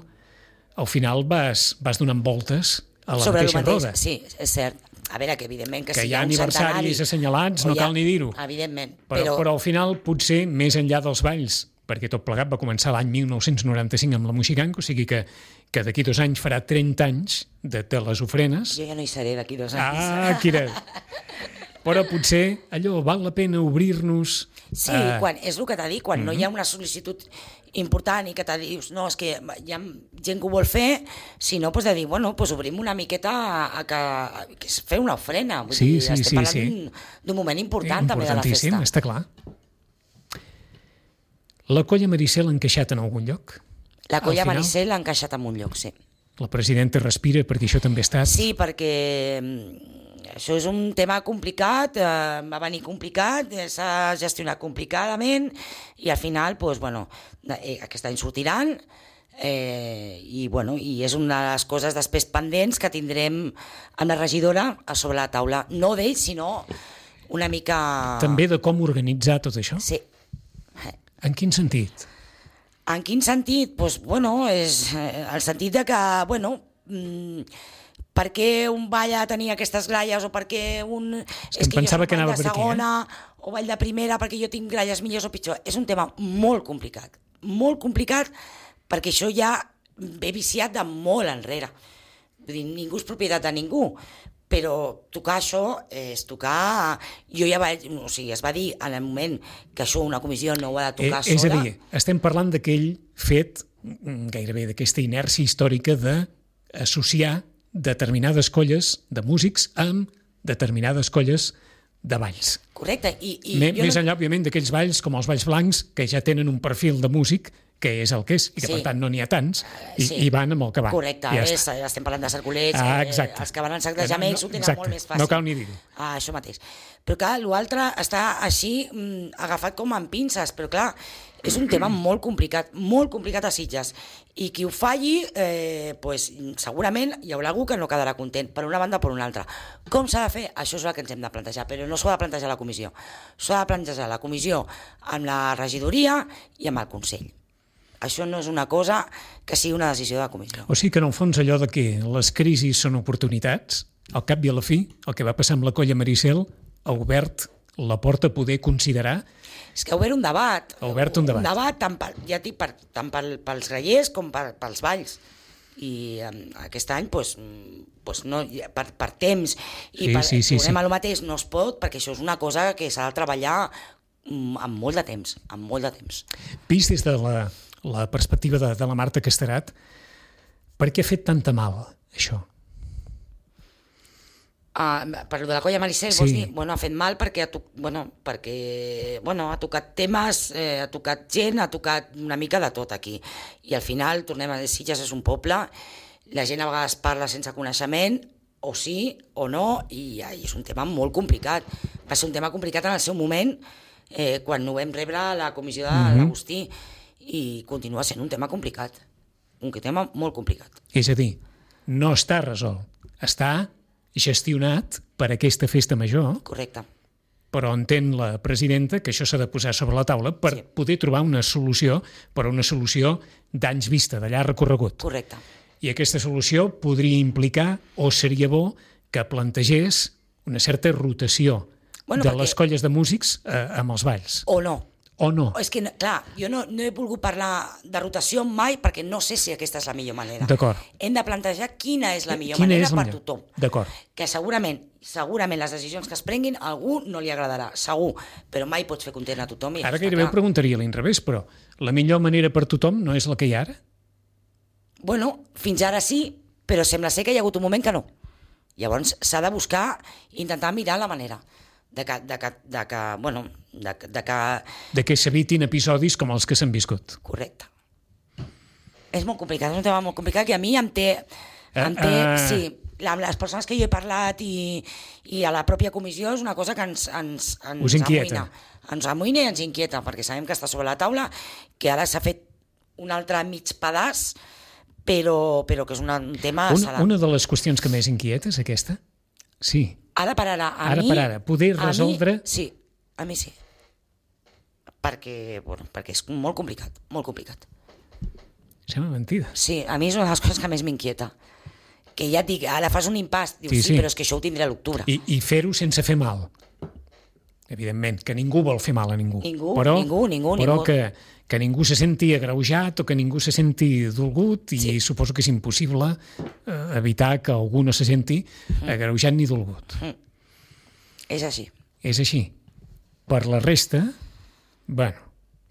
al final vas, vas donant voltes a la Sobre el mateixa mateix, roda. sí, és cert. A veure, que evidentment que, Que si hi ha un aniversaris centenari, assenyalats, o no hi ha- cal ni dir-ho. Evidentment, Però, però, però al final, potser, més enllà dels balls, perquè tot plegat va començar l'any mil nou-cents noranta-cinc amb la Moxiganco, o sigui que, que d'aquí dos anys farà trenta anys de, de les ofrenes. jo ja no hi seré d'aquí dos anys. Ah, Quira! Però potser allò val la pena obrir-nos... Sí, a- quan, és el que t'ha dit, quan mm -hmm. no hi ha una sol·licitud important i que t'ha dius, no, és que hi ha gent que ho vol fer, si no, doncs de dir, bueno, doncs obrim una miqueta a, a que, a, que és fer una ofrena. Vull Sí, dir, sí, estem sí, parlant sí. d'un- d'un moment important també de la Importantíssim, festa. està clar. La colla Maricel ha encaixat en algun lloc? La Al colla final? Maricel ha encaixat en un lloc, sí. La presidenta respira perquè això també ha estat... Sí, perquè mm, això és un tema complicat, eh, va venir complicat, eh, s'ha gestionat complicadament i al final, doncs, bueno, eh, aquest any sortiran, eh, i, bueno, i és una de les coses després pendents que tindrem amb la regidora a sobre la taula, no d'ells, sinó una mica... També de com organitzar tot això? Sí. En quin sentit? En quin sentit? Pues, bueno, és eh, el sentit de que, bueno, mmm, per què un ball ha de tenir aquestes gralles o per què un... És que, és que pensava que anava per aquí, segona, eh? o ball de primera perquè jo tinc gralles millors o pitjor. És un tema molt complicat, molt complicat, perquè això ja ve viciat de molt enrere. Vull dir, ningú és propietat de ningú, però tocar això és tocar... Jo ja vaig... O sigui, es va dir en el moment que això una comissió no ho ha de tocar eh, sola. És a dir, estem parlant d'aquell fet, gairebé d'aquesta inèrcia històrica d'associar determinades colles de músics amb determinades colles de balls. Correcte. I, i M més no... enllà, òbviament, d'aquells balls com els balls blancs, que ja tenen un perfil de músic que és el que és, i que sí. per tant no n'hi ha tants, i, sí. i van amb el que van. Correcte, ja és, estem parlant de cerculets, ah, eh, els que van en sac de gemecs no, ho tenen exacte. molt més fàcil. No cal ni dir-ho. Ah, això mateix. Però clar, l'altre està així mm, agafat com amb pinces, però clar, és un tema molt complicat, molt complicat a Sitges, i qui ho falli, eh, pues, segurament hi haurà algú que no quedarà content, per una banda o per una altra. Com s'ha de fer? Això és el que ens hem de plantejar, però no s'ho ha de plantejar la comissió. S'ho ha de plantejar la comissió amb la regidoria i amb el Consell. Això no és una cosa que sigui una decisió de la comissió. O sigui que en el fons allò de que les crisis són oportunitats, al cap i a la fi, el que va passar amb la colla Maricel ha obert la porta a poder considerar... És que ha obert un debat. Ha obert un debat. Un debat tant, per, ja dic, per, tant pel, pels grallers com per, pels balls. I um, aquest any, pues, pues no, per, per temps i sí, per, sí, sí, tornem sí. a lo mateix, no es pot, perquè això és una cosa que s'ha de treballar um, amb molt de temps, amb molt de temps. Vist des de la, la perspectiva de, de la Marta Casterat, per què ha fet tanta mal, això? Uh, per de la colla Maricel, sí. vols dir? Bueno, ha fet mal perquè ha, to... bueno, perquè, bueno, ha tocat temes, eh, ha tocat gent, ha tocat una mica de tot aquí. I al final, tornem a dir, Sitges és un poble, la gent a vegades parla sense coneixement, o sí o no, i, i és un tema molt complicat. Va ser un tema complicat en el seu moment, eh, quan ho vam rebre a la comissió de mm-hmm. l'Agustí, i continua sent un tema complicat. Un tema molt complicat. És a dir, no està resolt, està gestionat per aquesta festa major. Correcte. Però entén la presidenta que això s'ha de posar sobre la taula per sí. poder trobar una solució, per una solució d'anys vista, de llarg recorregut. Correcte. I aquesta solució podria implicar, o seria bo, que plantegés una certa rotació bueno, de perquè... les colles de músics eh, amb els balls. O no. O no. És que, clar, jo no, no he volgut parlar de rotació mai perquè no sé si aquesta és la millor manera. D'acord. Hem de plantejar quina és la millor quina manera és la per millor? tothom. D'acord. Que segurament, segurament les decisions que es prenguin a algú no li agradarà, segur, però mai pots fer content a tothom. I ara gairebé ho preguntaria a l'inrevés, però la millor manera per tothom no és la que hi ha ara? Bueno, fins ara sí, però sembla ser que hi ha hagut un moment que no. Llavors s'ha de buscar, intentar mirar la manera. De que, de que, de que, bueno, de, de que... De que s'evitin episodis com els que s'han viscut. Correcte. És molt complicat, és un tema molt complicat que a mi em té... Em té uh, uh... Sí, amb les persones que jo he parlat i, i a la pròpia comissió és una cosa que ens, ens, ens Us inquieta. amoïna. Ens amoïna i ens inquieta, perquè sabem que està sobre la taula, que ara s'ha fet un altre mig pedaç, però, però que és una, un tema... Un, una de les qüestions que més inquieta és aquesta? Sí. Ara per ara, a ara mi... per ara, poder resoldre... Mi, sí, a mi sí. Perquè, bueno, perquè és molt complicat, molt complicat. Sembla mentida. Sí, a mi és una de les coses que més m'inquieta. Que ja et dic, ara fas un impàs, dius, sí, sí, sí, però és que això ho tindré a l'octubre. I, i fer-ho sense fer mal. Evidentment, que ningú vol fer mal a ningú. Ningú, però, ningú, ningú. Però ningú. Que, que ningú se senti agreujat o que ningú se senti dolgut, i sí. suposo que és impossible eh, evitar que algú no se senti mm. agreujat ni dolgut. Mm. És així. És així. Per la resta, bueno...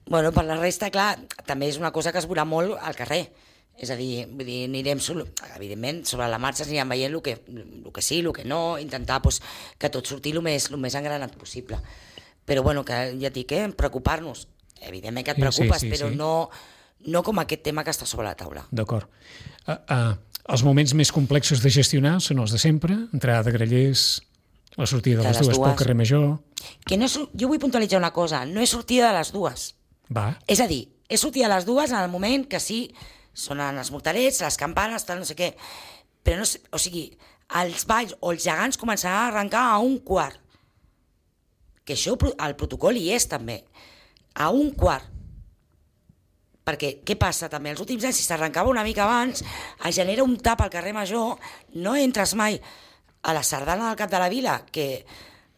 Bueno, per la resta, clar, també és una cosa que es veurà molt al carrer. És a dir, vull dir, anirem, evidentment, sobre la marxa anirem veient el que, el que sí, el que no, intentar pues, que tot surti el més, el més engranat possible. Però, bueno, que ja et dic, eh, preocupar-nos. Evidentment que et preocupes, sí, sí, sí, però sí. No, no com aquest tema que està sobre la taula. D'acord. Uh, uh, els moments més complexos de gestionar són els de sempre, entrada de grallers, la sortida de, de les, les dues, dues pel carrer Major... Que no és, jo vull puntualitzar una cosa, no és sortida de les dues. Va. És a dir, és sortida de les dues en el moment que sí sonen els morterets, les campanes, tal, no sé què. Però no sé, o sigui, els balls o els gegants començaran a arrencar a un quart. Que això al protocol hi és també. A un quart. Perquè què passa també? Els últims anys, si s'arrencava una mica abans, es genera un tap al carrer Major, no entres mai a la sardana del Cap de la Vila, que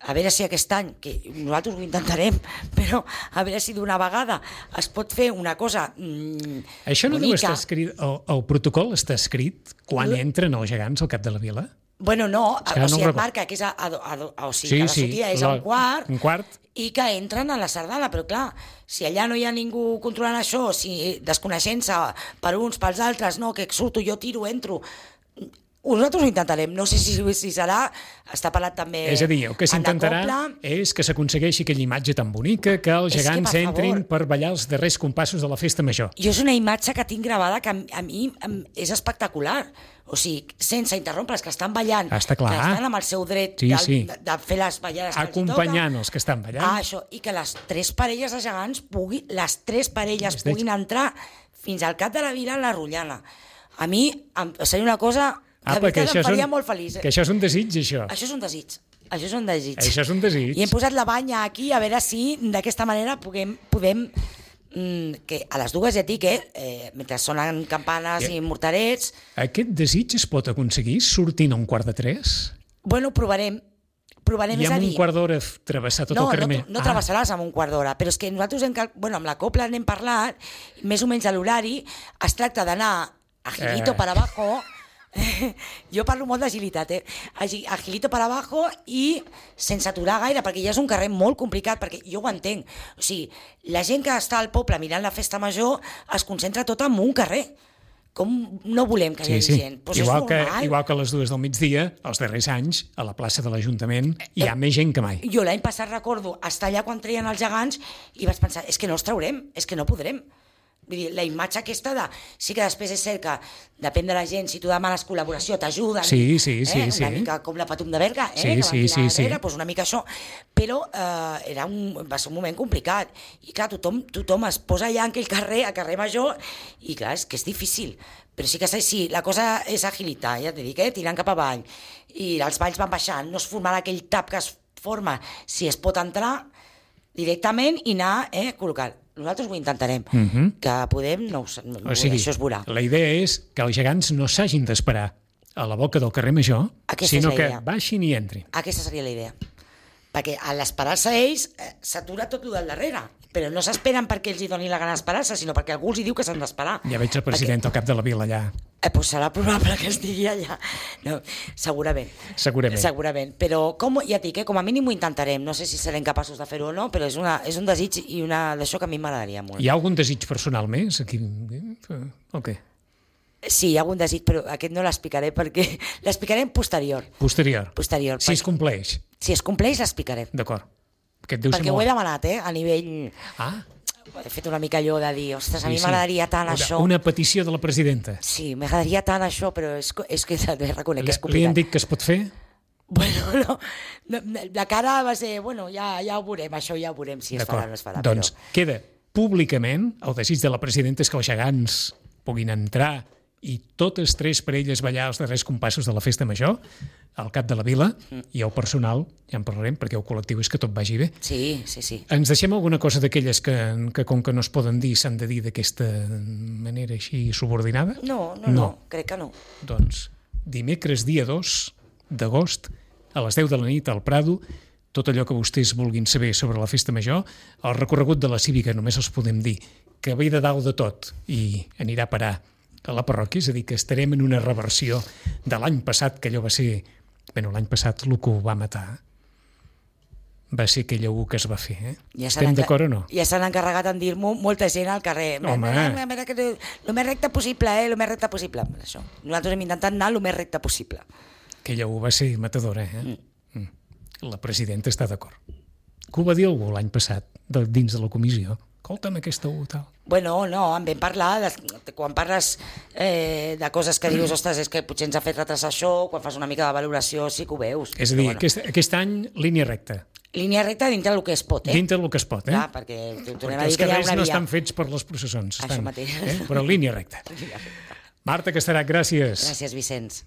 a veure si aquest any, que nosaltres ho intentarem, però a veure si d'una vegada es pot fer una cosa mmm, Això no bonica. deu estar escrit, el, el protocol està escrit quan L... entren els gegants al Cap de la Vila? Bueno, no, o no sigui, no et marca que és a, a, a, a, o sigui, sí, que la sí, sortida és a un quart, un quart, i que entren a la sardana, però clar, si allà no hi ha ningú controlant això, si desconeixent-se per uns, pels altres, no, que surto, jo tiro, entro... Nosaltres ho intentarem, no sé si, si serà, està parlat també... És a dir, el que s'intentarà és que s'aconsegueixi aquella imatge tan bonica que els gegants que, per entrin favor, per ballar els darrers compassos de la festa major. Jo és una imatge que tinc gravada que a, a mi és espectacular. O sigui, sense interrompre's, que estan ballant, Està clar. que estan amb el seu dret sí, de, sí. de, de fer les ballades que acompanyant els que estan ballant. Ah, això, i que les tres parelles de gegants pugui, les tres parelles es puguin entrar fins al Cap de la Vila en la Rotllana. A mi em, seria una cosa... Ah, la veritat em faria un, molt feliç. Eh? Que això és un desig, això. Això és un desig. Això és un desig. Això és un desig. I hem posat la banya aquí a veure si d'aquesta manera puguem, podem... Mm, que a les dues ja et dic, eh, eh, mentre sonen campanes yeah. i morterets... Aquest desig es pot aconseguir sortint a un quart de tres? Bueno, provarem. provarem I amb a dir, un quart d'hora travessar tot no, el carrer? No, no, no travessaràs amb un quart d'hora, però és que nosaltres, hem, bueno, amb la Copla n'hem parlat, més o menys a l'horari, es tracta d'anar agilito eh. per abajo... jo parlo molt d'agilitat, eh? Agilito per abajo i sense aturar gaire, perquè ja és un carrer molt complicat, perquè jo ho entenc. O sigui, la gent que està al poble mirant la festa major es concentra tot en un carrer. Com no volem que hi hagi sí, sí. gent? Pues igual, és que, normal. igual que a les dues del migdia, els darrers anys, a la plaça de l'Ajuntament, hi ha eh, més gent que mai. Jo l'any passat recordo estar allà quan treien els gegants i vaig pensar, és que no els traurem, és que no podrem. Vull dir, la imatge aquesta de... Sí que després és cert que depèn de la gent, si tu demanes col·laboració, t'ajuden. Sí, sí, sí. Eh? Una sí. mica com la Patum de Berga, eh? Sí, que sí, sí, sí. Darrere, doncs una mica això. Però eh, era un, va ser un moment complicat. I clar, tothom, tothom es posa allà en aquell carrer, a carrer Major, i clar, és que és difícil. Però sí que sí, la cosa és agilitar, ja t'he dit, eh? Tirant cap avall. I els balls van baixant, no es formarà aquell tap que es forma si es pot entrar directament i anar eh, col·locant. Nosaltres ho intentarem. Uh-huh. Que podem, no, no o sigui, això es veurà. La idea és que els gegants no s'hagin d'esperar a la boca del carrer Major, Aquesta sinó que baixin i entrin. Aquesta seria la idea. Perquè a l'esperar-se ells eh, s'atura tot el del darrere. Però no s'esperen perquè ells hi donin la gana d'esperar-se, sinó perquè algú els hi diu que s'han d'esperar. Ja veig el president perquè... al cap de la vila allà. Eh, doncs serà probable que estigui allà. No, segurament. Segurament. Segurament. Però com, ja et dic, eh, com a mínim ho intentarem. No sé si serem capaços de fer-ho o no, però és, una, és un desig i una d'això que a mi m'agradaria molt. Hi ha algun desig personal més? Aquí... O què? Sí, hi ha algun desig, però aquest no l'explicaré perquè l'explicarem posterior. Posterior. Posterior. Si es compleix. Si es compleix, l'explicarem. D'acord. Perquè molt... ho he demanat, eh, a nivell... Ah. He fet una mica allò de dir, ostres, a sí, mi m'agradaria tant una, això. Una petició de la presidenta. Sí, m'agradaria tant això, però és, és que reconec que és complicat. Li han dit que es pot fer? Bueno, no, no, la cara va ser, bueno, ja, ja ho veurem, això ja ho veurem si es farà o no es farà. Doncs però... queda públicament, el desig de la presidenta és que els gegants puguin entrar i totes tres parelles ballar els darrers compassos de la festa major al cap de la vila, mm. i el personal, ja en parlarem, perquè el col·lectiu és que tot vagi bé. Sí, sí, sí. Ens deixem alguna cosa d'aquelles que, que com que no es poden dir, s'han de dir d'aquesta manera així subordinada? No, no, no, no, crec que no. Doncs dimecres dia dos d'agost, a les deu de la nit al Prado, tot allò que vostès vulguin saber sobre la festa major, el recorregut de la cívica només els podem dir que ve de dalt de tot i anirà a parar a la parròquia, és a dir, que estarem en una reversió de l'any passat, que allò va ser... Bé, l'any passat el que ho va matar va ser aquell U que es va fer, eh? Ja estem d'acord o no? Ja s'han encarregat en dir-m'ho molta gent al carrer. Home! El més recte possible, eh? El més recte possible. Això. Nosaltres hem intentat anar el més recte possible. Aquella U va ser matadora, eh? Mm. La presidenta està d'acord. Què ho va dir algú l'any passat, de, dins de la comissió? Escolta'm aquesta U, tal. Bueno, no, en vam parlar, de, quan parles eh, de coses que dius, ostres, és que potser ens ha fet retrasar això, quan fas una mica de valoració sí que ho veus. És a dir, bueno. aquest, aquest any línia recta. Línia recta dintre del que es pot, eh? Dintre del que es pot, eh? Clar, perquè t'ho tornem Perquè a els dir que hi ha carrers una no via. estan fets per les processons. Això Estan, mateix. eh? Però línia recta. Marta Casterat, gràcies. Gràcies, Vicenç.